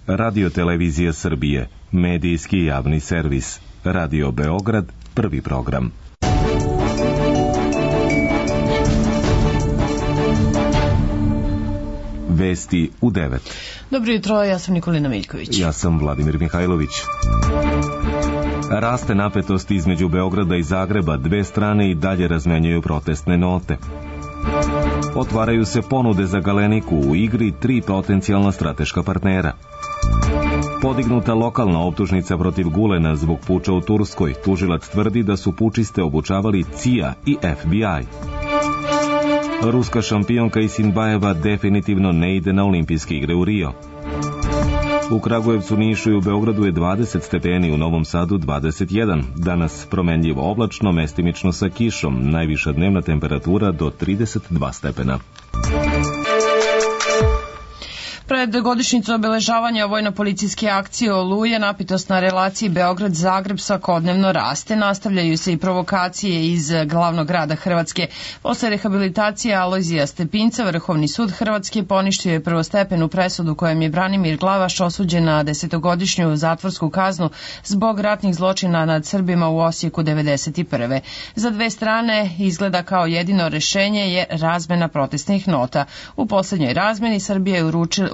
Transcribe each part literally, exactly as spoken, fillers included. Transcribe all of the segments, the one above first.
Radio Televizija Srbije, medijski javni servis. Radio Beograd, prvi program. Vesti u devet. Dobro jutro, ja sam Nikolina Miljković. Ja sam Vladimir Mihajlović. Raste napetost između Beograda i Zagreba, dve strane i dalje razmenjuju protestne note. Otvaraju se ponude za Galeniku, u igri tri potencijalna strateška partnera. Podignuta lokalna optužnica protiv Gulena zbog puča u Turskoj. Tužilac tvrdi da su pučiste obučavali C I A i F B I. Ruska šampionka Isinbajeva definitivno ne ide na olimpijske igre u Rio. U Kragujevcu, Nišu i u Beogradu je dvadeset stepeni, u Novom Sadu dvadeset jedan. Danas promenljivo oblačno, mestimično sa kišom. Najviša dnevna temperatura do trideset dva stepena. Pred godišnjicu obeležavanja vojno-policijske akcije Oluje, napetost na relaciji Beograd-Zagreb svakodnevno raste. Nastavljaju se i provokacije iz glavnog grada Hrvatske. Posle rehabilitacije Alojzija Stepinca, Vrhovni sud Hrvatske poništio je prvostepenu presudu kojom je Branimir Glavaš osuđen na desetogodišnju zatvorsku kaznu zbog ratnih zločina nad Srbima u Osijeku devedeset prve. Za dve strane izgleda kao jedino rešenje je razmena protestnih nota. U poslednjoj razmeni Srbija je uručila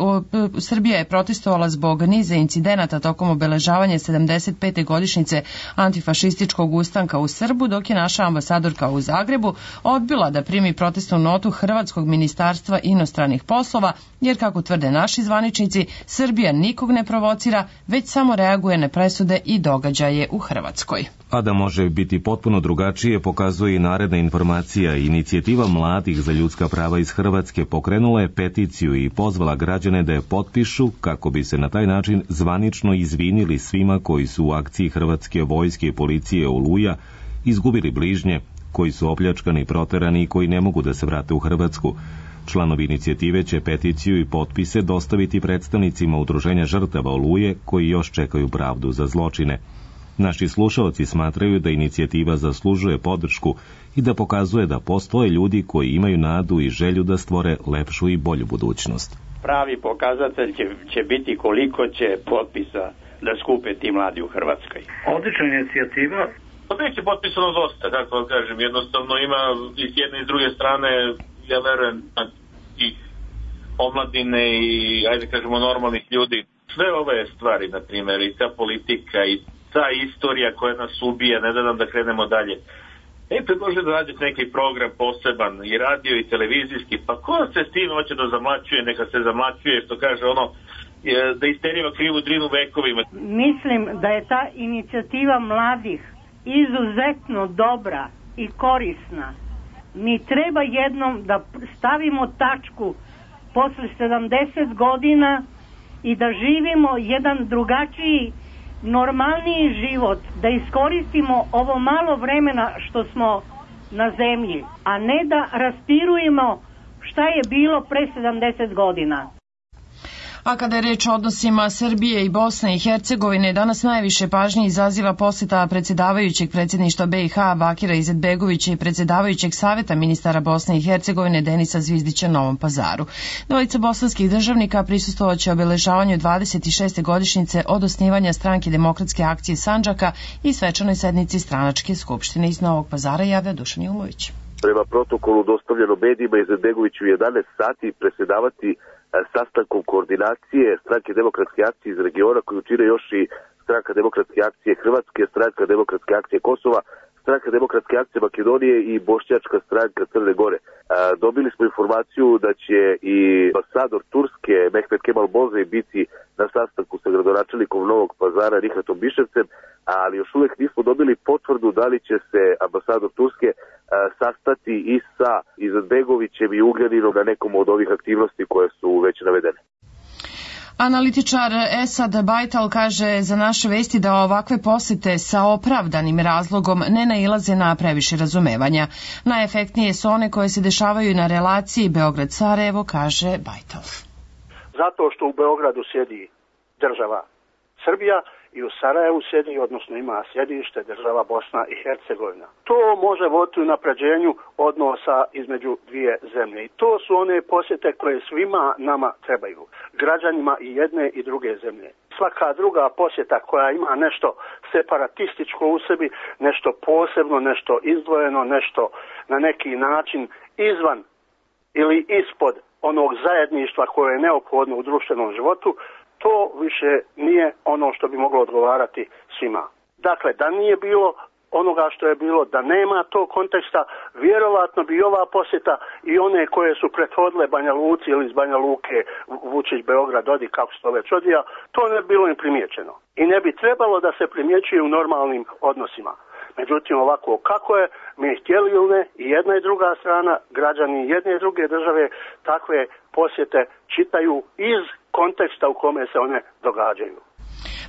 Srbija je protestovala zbog niza incidenata tokom obeležavanja sedamdeset pete godišnjice antifašističkog ustanka u Srbu, dok je naša ambasadorka u Zagrebu odbila da primi protestnu notu Hrvatskog ministarstva inostranih poslova, jer kako tvrde naši zvaničnici, Srbija nikog ne provocira, već samo reaguje na presude i događaje u Hrvatskoj. A da može biti potpuno drugačije pokazuje i naredna informacija. Inicijativa mladih za ljudska prava iz Hrvatske pokrenula je peticiju i pozvala građane da je potpišu kako bi se na taj način zvanično izvinili svima koji su u akciji Hrvatske vojske i policije Oluja izgubili bližnje, koji su opljačkani, proterani i koji ne mogu da se vrate u Hrvatsku. Članovi inicijative će peticiju i potpise dostaviti predstavnicima udruženja žrtava Oluje koji još čekaju pravdu za zločine. Naši slušalci smatraju da inicijativa zaslužuje podršku i da pokazuje da postoje ljudi koji imaju nadu i želju da stvore lepšu i bolju budućnost. Pravi pokazatelj će, će biti koliko će potpisa da skupe ti mladi u Hrvatskoj. Odlična inicijativa. Već je potpisano dosta, kako vam kažem, jednostavno ima i s jedne i s druge strane, ja verujem, i omladine i, ajde kažemo, normalnih ljudi. Sve ove stvari, na primjer, i ta politika i ta istorija koja nas ubija, ne da nam da krenemo dalje. E, predložio da radite neki program poseban, i radio i televizijski, pa ko se s tim hoće da zamlačuje, neka se zamlačuje, što kaže ono, da isteriva krivu drinu vekovima. Mislim da je ta inicijativa mladih izuzetno dobra i korisna. Mi treba jednom da stavimo tačku posle sedamdeset godina i da živimo jedan drugačiji, normalniji život, da iskoristimo ovo malo vremena što smo na zemlji, a ne da raspirujemo šta je bilo pre sedamdeset godina. A kada je reč o odnosima Srbije i Bosne i Hercegovine, danas najviše pažnje izaziva poseta predsjedavajućeg predsjedništva B i H Bakira Izetbegovića i predsjedavajućeg saveta ministara Bosne i Hercegovine Denisa Zvizdića Novom Pazaru. Dvojica bosanskih državnika prisustvovaće obeležavanju dvadeset šeste godišnjice od osnivanja stranke Demokratske akcije Sandžaka i svečanoj sednici stranačke skupštine. Iz Novog Pazara javlja Dušan Jumović. Prema protokolu dostavljeno medijima, Izetbegović u jedanaest sati predsjedavati sastankom koordinacije stranke Demokratske akcije iz regiona koju čine još i stranka Demokratske akcije Hrvatske, stranka Demokratske akcije Kosova, stranka Demokratske akcije Makedonije i bošnjačka stranka Crne Gore. A, dobili smo informaciju da će i ambasador Turske Mehmet Kemal Bozej biti na sastanku sa gradonačelnikom Novog Pazara Rihatom Biševcem, ali još uvijek nismo dobili potvrdu da li će se ambasador Turske a, sastati i sa Izetbegovićem i Ugljaninom na nekom od ovih aktivnosti koje su već navedene. Analitičar Esad Bajtal kaže za naše vesti da ovakve posete sa opravdanim razlogom ne nailaze na previše razumevanja. Najefektnije su one koje se dešavaju na relaciji Beograd-Sarajevo, kaže Bajtal. Zato što u Beogradu sjedi država Srbija i u Sarajevu sjedi, odnosno ima sjedište država Bosna i Hercegovina. To može voditi u napređenju odnosa između dvije zemlje. I to su one posjete koje svima nama trebaju, građanima i jedne i druge zemlje. Svaka druga posjeta koja ima nešto separatističko u sebi, nešto posebno, nešto izdvojeno, nešto na neki način izvan ili ispod onog zajedništva koje je neophodno u društvenom životu, to više nije ono što bi moglo odgovarati svima. Dakle, da nije bilo onoga što je bilo, da nema tog konteksta, vjerovatno bi ova posjeta i one koje su prethodile Banja Luci ili iz Banja Luke, Vučić, Beograd, Dodik, kako se to već odvija, to ne bi bilo im primijećeno. I ne bi trebalo da se primjećuje u normalnim odnosima. Međutim, ovako kako je, mi htjeli ili ne, i jedna i druga strana, građani jedne i druge države, takve posjete čitaju iz konteksta u kome se one događaju.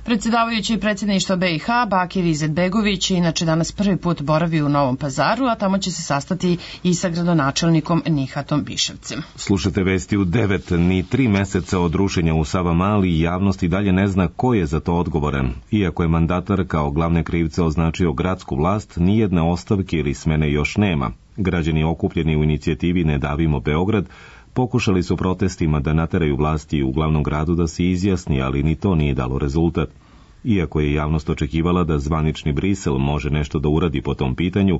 Predsjedavajući predsjedništva B i H, Bakir Izetbegović, inače danas prvi put boravi u Novom Pazaru, a tamo će se sastati i sa gradonačelnikom Nihatom Biševcem. Slušajte vesti u devet. Ni tri meseca od rušenja u Savamali javnost i dalje ne zna ko je za to odgovoran. Iako je mandatar kao glavne krivce označio gradsku vlast, nijedne ostavke ili smene još nema. Građani okupljeni u inicijativi Ne davimo Beograd pokušali su protestima da nateraju vlasti u glavnom gradu da se izjasni, ali ni to nije dalo rezultat. Iako je javnost očekivala da zvanični Brisel može nešto da uradi po tom pitanju,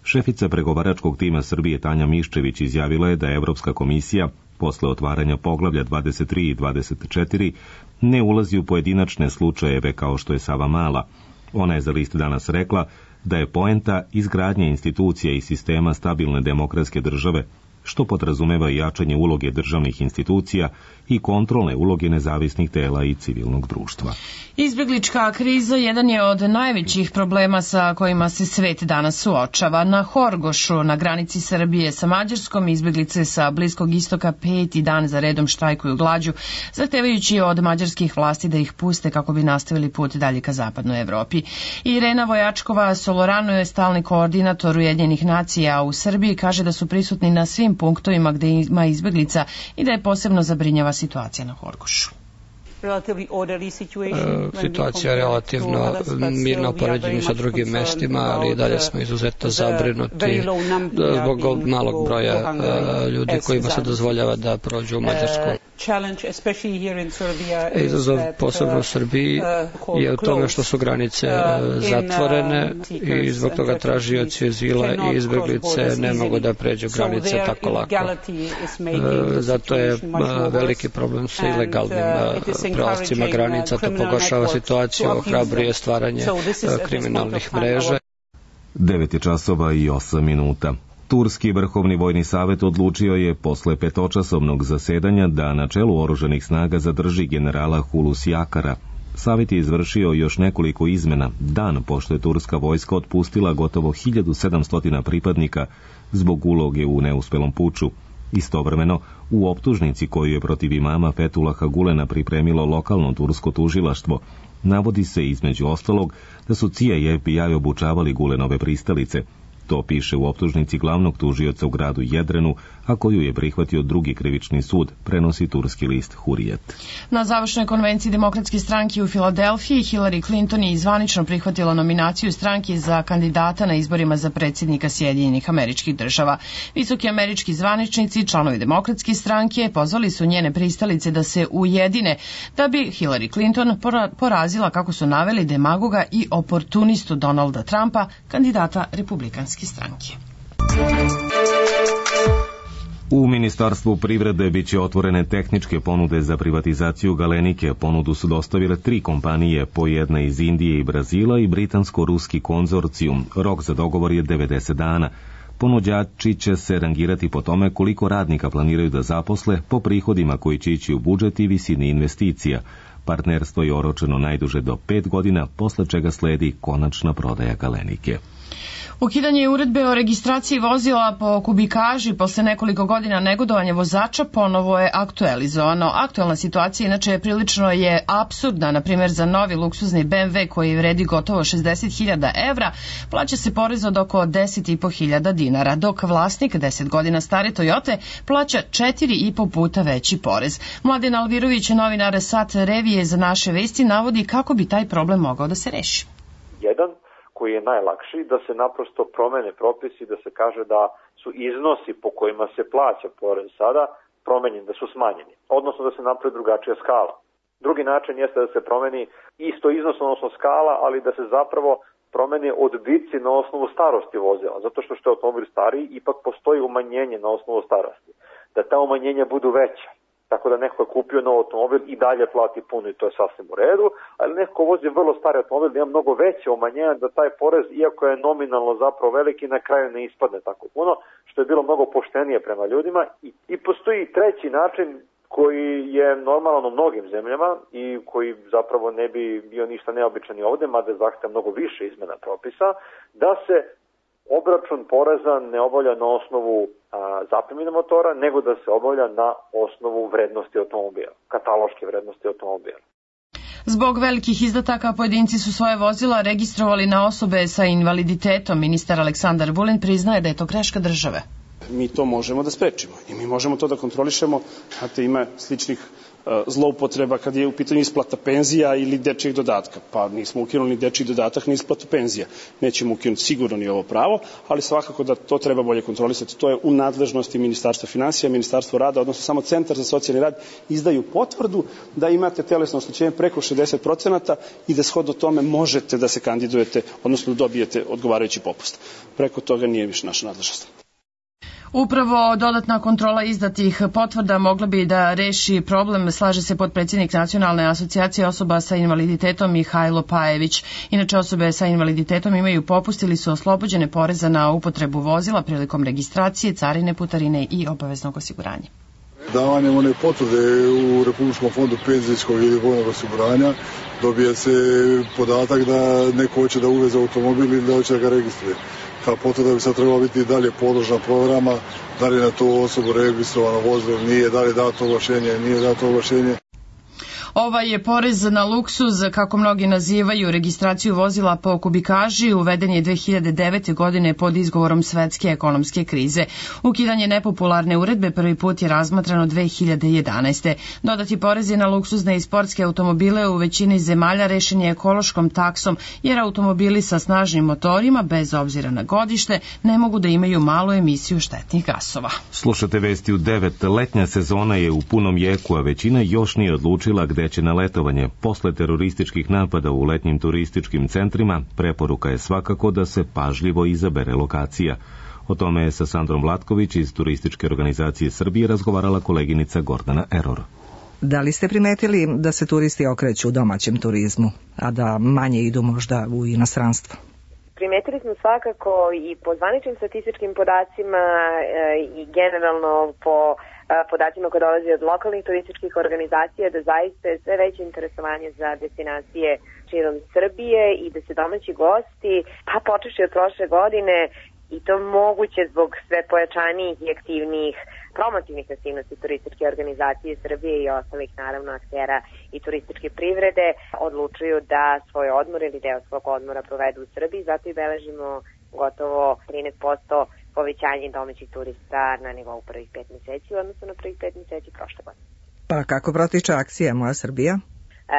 šefica pregovaračkog tima Srbije Tanja Miščević izjavila je da Evropska komisija, posle otvaranja poglavlja dvadeset tri i dvadeset četiri, ne ulazi u pojedinačne slučajeve kao što je Savamala. Ona je za List danas rekla da je poenta izgradnje institucija i sistema stabilne demokratske države, što podrazumeva i jačanje uloge državnih institucija i kontrolne uloge nezavisnih tela i civilnog društva. Izbjeglička kriza jedan je od najvećih problema sa kojima se svet danas suočava. Na Horgošu, na granici Srbije sa Mađarskom, izbjeglice sa Bliskog istoka peti dan za redom štrajkuju glađu, zahtevajući od mađarskih vlasti da ih puste kako bi nastavili put dalje ka zapadnoj Evropi. Irena Vojačkova Solorano je stalni koordinator Ujedinjenih nacija u Srbiji, kaže da su prisutni na svim punktovima gde ima izbjeglica i da je posebno zabrinjava situacija na Horgošu. Situacija je relativno mirna u poređenju sa drugim mestima, ali i dalje smo izuzetno zabrinuti zbog malog broja ljudi kojima se dozvoljava da prođu u Mađarsku. Izazov posebno u Srbiji je u tome što su granice zatvorene i zbog toga tražioci azila i izbjeglice ne mogu da pređu granice tako lako. Zato je veliki problem sa ilegalnim prelascima granica, to pogoršava situaciju, ohrabruje stvaranje kriminalnih mreža. devet je časova i osam minuta. Turski vrhovni vojni savjet odlučio je posle petočasovnog zasedanja da na čelu oružanih snaga zadrži generala Hulusi Akara. Savjet je izvršio još nekoliko izmena, dan pošto je turska vojska otpustila gotovo hiljadu sedamsto pripadnika zbog uloge u neuspelom puču. Istovremeno, u optužnici koju je protiv imama Fetulaha Gulena pripremilo lokalno tursko tužilaštvo, navodi se između ostalog da su C I A i F B I obučavali Gulenove pristalice. To piše u optužnici glavnog tužioca u gradu Jedrenu, a koju je prihvatio drugi krivični sud, prenosi turski list Hurijet. Na završnoj konvenciji Demokratske stranke u Filadelfiji Hillary Clinton je zvanično prihvatila nominaciju stranke za kandidata na izborima za predsjednika Sjedinjenih Američkih Država. Visoki američki zvaničnici, članovi Demokratske stranke, pozvali su njene pristalice da se ujedine, da bi Hillary Clinton porazila, kako su naveli, demagoga i oportunistu Donalda Trumpa, kandidata Republikanske stranke. U Ministarstvu privrede biće otvorene tehničke ponude za privatizaciju Galenike. Ponudu su dostavile tri kompanije, po jedna iz Indije i Brazila i britansko-ruski konzorcijum. Rok za dogovor je devedeset dana. Ponuđači će se rangirati po tome koliko radnika planiraju da zaposle, po prihodima koji će ići u budžet i visini investicija. Partnerstvo je oročeno najduže do pet godina, posle čega sledi konačna prodaja Galenike. Ukidanje uredbe o registraciji vozila po kubikaži posle nekoliko godina negodovanja vozača ponovo je aktualizovano. Aktualna situacija inače prilično je apsurdna. Na primjer, za novi luksuzni B M W koji vredi gotovo šezdeset hiljada evra plaća se porez od oko deset i po hiljada dinara, dok vlasnik deset godina stare Toyote plaća četiri i po puta veći porez. Mladen Alvirović, novinar Sat Revije za naše vesti, navodi kako bi taj problem mogao da se reši. Jedan koji je najlakši, da se naprosto promene propisi, da se kaže da su iznosi po kojima se plaća porez sada promenjeni, da su smanjeni, odnosno da se napravi drugačija skala. Drugi način jeste da se promeni isto iznos, odnosno skala, ali da se zapravo promeni odbici na osnovu starosti vozila, zato što što je automobil stariji, ipak postoji umanjenje na osnovu starosti, da ta umanjenja budu veća. Tako da neko je kupio nov automobil i dalje plati puno i to je sasvim u redu, ali neko vozi vrlo stari automobil da ima mnogo veće umanjenja da taj porez, iako je nominalno zapravo veliki, na kraju ne ispadne tako puno, što je bilo mnogo poštenije prema ljudima. I, i postoji treći način koji je normalan u mnogim zemljama i koji zapravo ne bi bio ništa neobičan i ovde, mada zahteva mnogo više izmena propisa, da se obračun poreza ne obavlja na osnovu zapremine motora, nego da se obavlja na osnovu vrednosti automobila, kataloške vrednosti automobila. Zbog velikih izdataka pojedinci su svoje vozila registrovali na osobe sa invaliditetom. Ministar Aleksandar Vulin priznaje da je to greška države. Mi to možemo da sprečimo i mi možemo to da kontrolišemo. Znate, ima sličnih zloupotreba kad je u pitanju isplata penzija ili dečijeg dodatka. Pa nismo ukinuli dečiji dodatak ni isplatu penzija. Nećemo ukinuti sigurno ni ovo pravo, ali svakako da to treba bolje kontrolisati. To je u nadležnosti Ministarstva finansija, Ministarstva rada, odnosno samo Centar za socijalni rad izdaju potvrdu da imate telesno oštećenje preko šezdeset procenata i da shodno tome možete da se kandidujete, odnosno da dobijete odgovarajući popust. Preko toga nije više naša nadležnost. Upravo dodatna kontrola izdatih potvrda mogla bi da reši problem, slaže se potpredsjednik Nacionalne asocijacije osoba sa invaliditetom Mihajlo Pajević. Inače, osobe sa invaliditetom imaju popust ili su oslobođene poreza na upotrebu vozila prilikom registracije, carine, putarine i obaveznog osiguranja. Davanjem one potvrde u Republičkom fondu penzijskog ili vojnog osiguranja dobije se podatak da neko hoće da uveze automobil ili da hoće da ga registruje. Ta potvrda bi sad trebala biti dalje podložna programama, da li na to osobu registrovano vozilo, nije, da li dato oglašenje, nije dato oglašenje. Ovaj je porez na luksuz, kako mnogi nazivaju registraciju vozila po kubikaži, uveden je dve hiljade devete. godine pod izgovorom svetske ekonomske krize. Ukidanje nepopularne uredbe prvi put je razmatrano dve hiljade jedanaeste. Dodati porezi na luksuzne i sportske automobile u većini zemalja rešen je ekološkom taksom, jer automobili sa snažnim motorima, bez obzira na godište, ne mogu da imaju malu emisiju štetnih gasova. Slušate vesti u devet. Letnja sezona je u punom jeku, a većina još nije odlučila gde će na letovanje. Posle terorističkih napada u letnjim turističkim centrima, preporuka je svakako da se pažljivo izabere lokacija. O tome je sa Sandrom Vlatković iz Turističke organizacije Srbije razgovarala koleginica Gordana Eror. Da li ste primetili da se turisti okreću u domaćem turizmu, a da manje idu možda u inostranstvo? Primetili smo svakako i po zvaničnim statističkim podacima i generalno po podacima koje dolaze od lokalnih turističkih organizacija da zaista je sve veće interesovanje za destinacije širom Srbije i da se domaći gosti, pa počeši od prošle godine, i to moguće zbog sve pojačanijih i aktivnijih promotivnih aktivnosti turističke organizacije Srbije i ostalih naravno aktera i turističke privrede, odlučuju da svoj odmor ili deo svog odmora provedu u Srbiji, zato i beležimo gotovo trinaest posto povećanje domaćih turista na nivou prvih pet meseci u odnosu na prvih pet meseci prošle godine. Pa kako protiče akcija Moja Srbija?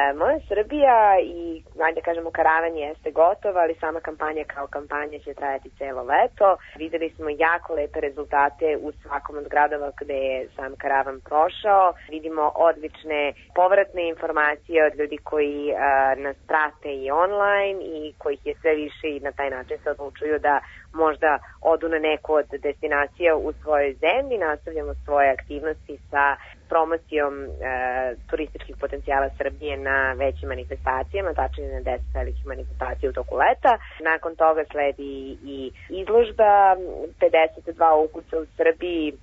E, Moja Srbija i, ajde kažemo, karavan jeste gotova, ali sama kampanja kao kampanja će trajati celo leto. Videli smo jako lepe rezultate u svakom od gradova gde je sam karavan prošao. Vidimo odlične povratne informacije od ljudi koji a, nas prate i online i kojih je sve više i na taj način se odlučuju da možda odu na neku od destinacija u svojoj zemlji. Nastavljamo svoje aktivnosti sa promocijom e, turističkih potencijala Srbije na većim manifestacijama, tačnije na deset velikih manifestacija u toku leta. Nakon toga sledi i izložba pedeset dva ukusa u Srbiji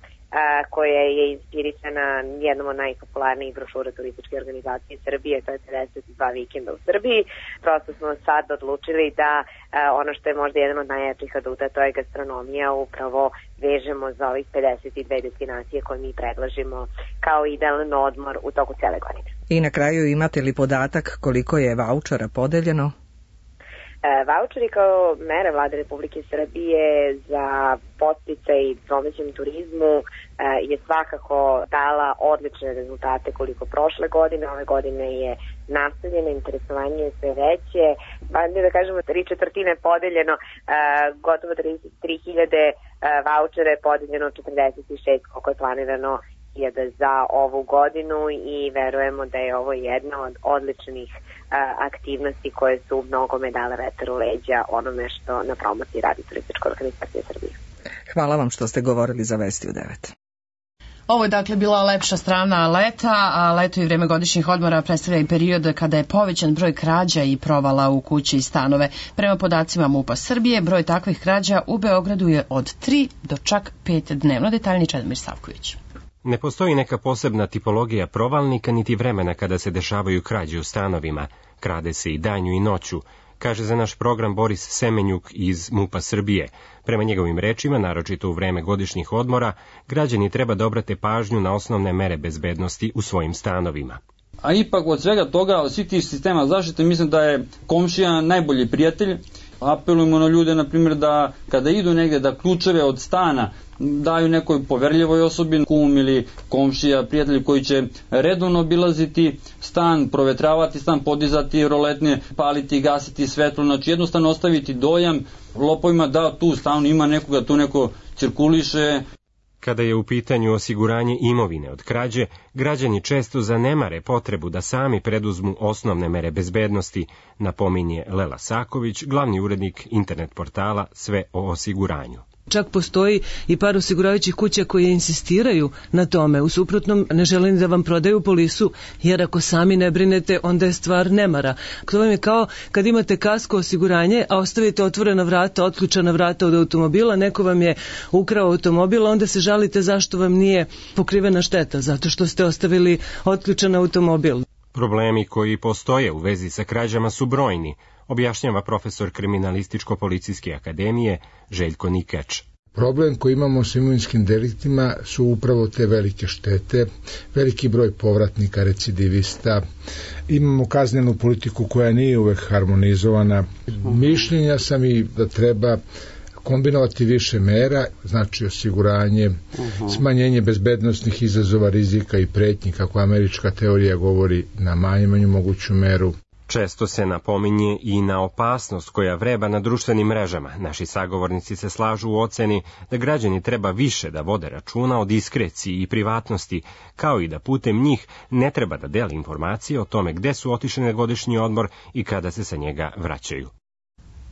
koja je inspirisana jednom od najpopularnijih brošura turističke organizacije Srbije, to je pedeset dva vikenda u Srbiji. Prosto smo sad odlučili da ono što je možda jedan od najjačih aduta, to je gastronomija, upravo vežemo za ovih pedeset dve destinacije koje mi predlažimo kao idealan odmor u toku cele godine. I na kraju imate li podatak koliko je vaučera podeljeno? Vaučeri kao mere Vlade Republike Srbije za podsticaj domaćem turizmu je svakako dala odlične rezultate koliko prošle godine. Ove godine je nastavljeno, interesovanje je sve veće, pa da kažemo tri četvrtine podeljeno, gotovo trideset tri hiljade vaučera je podeljeno, četrdeset šest koliko je planirano za ovu godinu i verujemo da je ovo jedna od odličnih aktivnosti koje su mnogo dale vetar u leđa onome što na promociji radi Turistička organizacija Srbije. Hvala vam što ste govorili za Vesti u devet. Ovo je dakle bila lepša strana leta, a leto i vreme godišnjih odmora predstavlja i period kada je povećan broj krađa i provala u kući i stanove. Prema podacima MUP-a Srbije, broj takvih krađa u Beogradu je od tri do čak pet dnevno. Detaljni Čedomir Savković. Ne postoji neka posebna tipologija provalnika niti vremena kada se dešavaju krađe u stanovima. Krade se i danju i noću, kaže za naš program Boris Semenjuk iz MUP-a Srbije. Prema njegovim rečima, naročito u vreme godišnjih odmora, građani treba da obrate pažnju na osnovne mere bezbednosti u svojim stanovima. A ipak od svega toga, od svih tih sistema zaštite, mislim da je komšija najbolji prijatelj. Apelujemo na ljude, na primjer, da kada idu negde, da ključeve od stana daju nekoj poverljivoj osobi, kum ili komšija, prijatelj koji će redovno obilaziti stan, provetravati stan, podizati roletne, paliti i gasiti svetlo, znači jednostavno ostaviti dojam lopovima da tu u stanu ima nekoga, tu neko cirkuliše. Kada je u pitanju osiguranje imovine od krađe, građani često zanemare potrebu da sami preduzmu osnovne mere bezbednosti, napominje Lela Saković, glavni urednik internet portala Sve o osiguranju. Čak postoji i par osiguravajućih kuća koje insistiraju na tome. U suprotnom ne želim da vam prodaju polisu, jer ako sami ne brinete, onda je stvar nemara. To vam je kao kad imate kasko osiguranje, a ostavite otvorena vrata, otključana vrata od automobila, neko vam je ukrao automobil, onda se žalite zašto vam nije pokrivena šteta, zato što ste ostavili otključan automobil. Problemi koji postoje u vezi sa krađama su brojni, objašnjava profesor Kriminalističko-policijske akademije Željko Nikač. Problem koji imamo s imovinskim deliktima su upravo te velike štete, veliki broj povratnika, recidivista, imamo kaznenu politiku koja nije uvek harmonizovana. Mišljenja sam i da treba kombinovati više mera, znači osiguranje, uh-huh. smanjenje bezbednostnih izazova, rizika i pretnji, kako američka teorija govori, na najmanju moguću meru. Često se napominje i na opasnost koja vreba na društvenim mrežama. Naši sagovornici se slažu u oceni da građani treba više da vode računa o diskreciji i privatnosti, kao i da putem njih ne treba da deli informacije o tome gde su otišli na godišnji odmor i kada se sa njega vraćaju.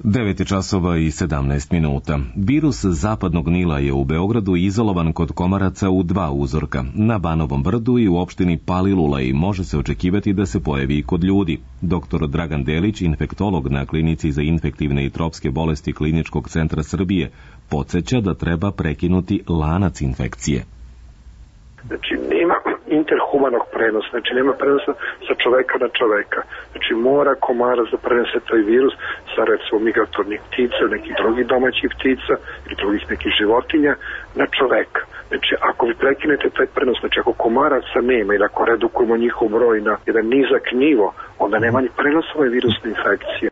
devet časova i sedamnaest minuta. Virus zapadnog Nila je u Beogradu izolovan kod komaraca u dva uzorka, na Banovom brdu i u opštini Palilula, i može se očekivati da se pojavi i kod ljudi. Doktor Dragan Delić, infektolog na klinici za infektivne i tropske bolesti Kliničkog centra Srbije, podsjeća da treba prekinuti lanac infekcije. Znači, nema interhumanog prenosa, znači nema prenosa sa čoveka na čoveka. Znači, mora komarac da prenese taj virus sa, recimo, migratornih ptica, nekih drugih domaćih ptica ili drugih nekih životinja na čoveka. Znači, ako vi prekinete taj prenos, znači ako komaraca nema ili ako redukujemo njihov broj na jedan nizak nivo, onda nema ni prenosove virusne infekcije.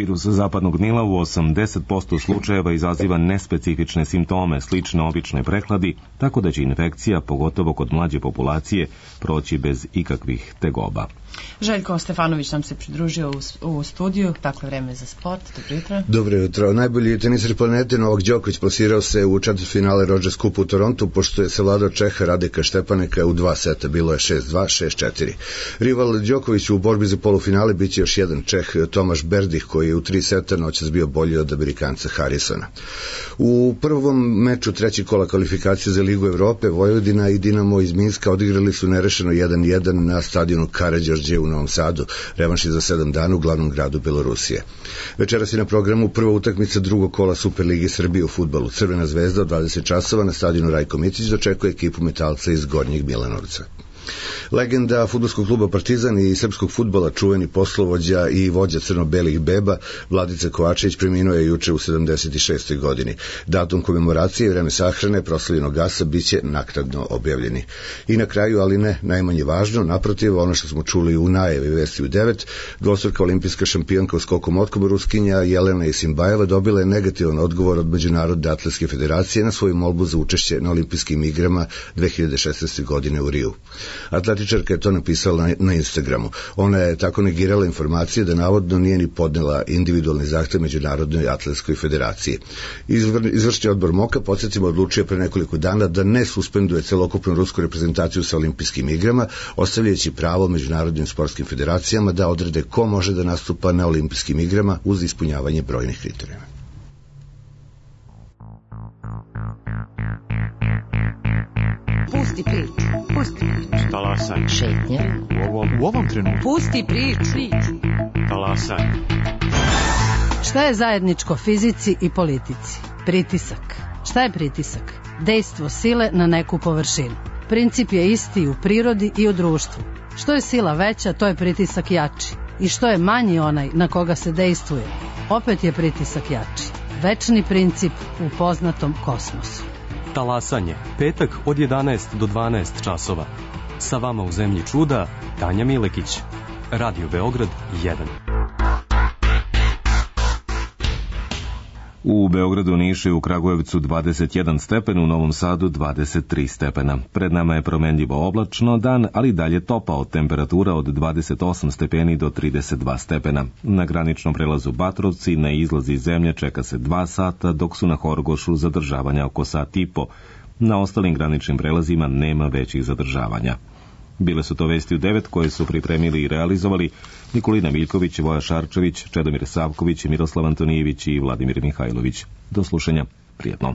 Virus zapadnog Nila u osamdeset posto slučajeva izaziva nespecifične simptome, slične običnoj prehladi, tako da će infekcija, pogotovo kod mlađe populacije, proći bez ikakvih tegoba. Željko Stefanović nam se pridružio u, u studiju, dakle vreme za sport. Dobro jutro. Dobro jutro. Najbolji teniser planete Novak Đoković plasirao se u četvrtfinale Rogers Cup u Torontu, pošto je savladao Čeha Radeka Štepaneka u dva seta, bilo je šest dva, šest četiri. Rival Đokoviću u borbi za polufinale biće još jedan Čeh, Tomaš Berdih, koji je u tri seta noćas bio bolji od Amerikanca Harrisona. U prvom meču trećeg kola kvalifikacije za Ligu Evrope, Vojvodina i Dinamo iz Minska odigrali su nerešeno jedan jedan na stadionu Karađorđe Đorđe u Novom Sadu. Revanš je za sedam dana u glavnom gradu Belorusije. Večeras je na programu prva utakmica drugog kola Superlige Srbije u fudbalu. Crvena zvezda od dvadeset časova na stadionu Rajko Mitić dočekuje ekipu Metalca iz Gornjeg Milanovca. Legenda fudbalskog kluba Partizan i srpskog fudbala, čuveni poslovođa i vođa crno-belih beba Vladica Kovačević preminuo je juče u sedamdeset šestoj godini. Datum komemoracije i vreme sahrane proslavljenog gasa biće naknadno objavljeni. I na kraju, ali ne najmanje važno, naprotiv, ono što smo čuli u najavi vesti u devet, dvostruka olimpijska šampionka u skoku motkom Ruskinja Jelena Isimbajeva dobila je negativan odgovor od Međunarodne atletske federacije na svoju molbu za učešće na olimpijskim igrama dve hiljade šesnaeste. godine u Riju. Atletičarka je to napisala na, na Instagramu. Ona je tako negirala informacije da navodno nije ni podnela individualni zahtev Međunarodnoj atletskoj federaciji. Izvr, izvršni odbor Moka, podsjetimo, odlučio pre nekoliko dana da ne suspenduje celokupnu rusku reprezentaciju sa olimpijskim igrama, ostavljajući pravo međunarodnim sportskim federacijama da odrede ko može da nastupa na olimpijskim igrama uz ispunjavanje brojnih kriterijuma. Pusti priču, pusti priču. Talasaj. Šetnje. U ovom, u ovom trenutku. Pusti priču. Talasaj. Šta je zajedničko fizici i politici? Pritisak. Šta je pritisak? Dejstvo sile na neku površinu. Princip je isti u prirodi i u društvu. Što je sila veća, to je pritisak jači. I što je manji onaj na koga se dejstvuje, opet je pritisak jači. Večni princip u poznatom kosmosu. Talasanje, petak od jedanaest do dvanaest časova. Sa vama u zemlji čuda, Tanja Milekić. Radio Beograd jedan. U Beogradu, Nišu i u Kragujevcu dvadeset jedan stepen, u Novom Sadu dvadeset tri stepena. Pred nama je promenljivo oblačno dan, ali dalje topao, temperatura od dvadeset osam stepeni do trideset dva stepena. Na graničnom prelazu Batrovci na izlazi iz zemlje čeka se dva sata, dok su na Horgošu zadržavanja oko sat i po. Na ostalim graničnim prelazima nema većih zadržavanja. Bile su to vesti u devet koje su pripremili i realizovali Nikolina Miljković, Voja Šarčević, Čedomir Savković, Miroslav Antonijević i Vladimir Mihajlović. Do slušanja. Prijetno.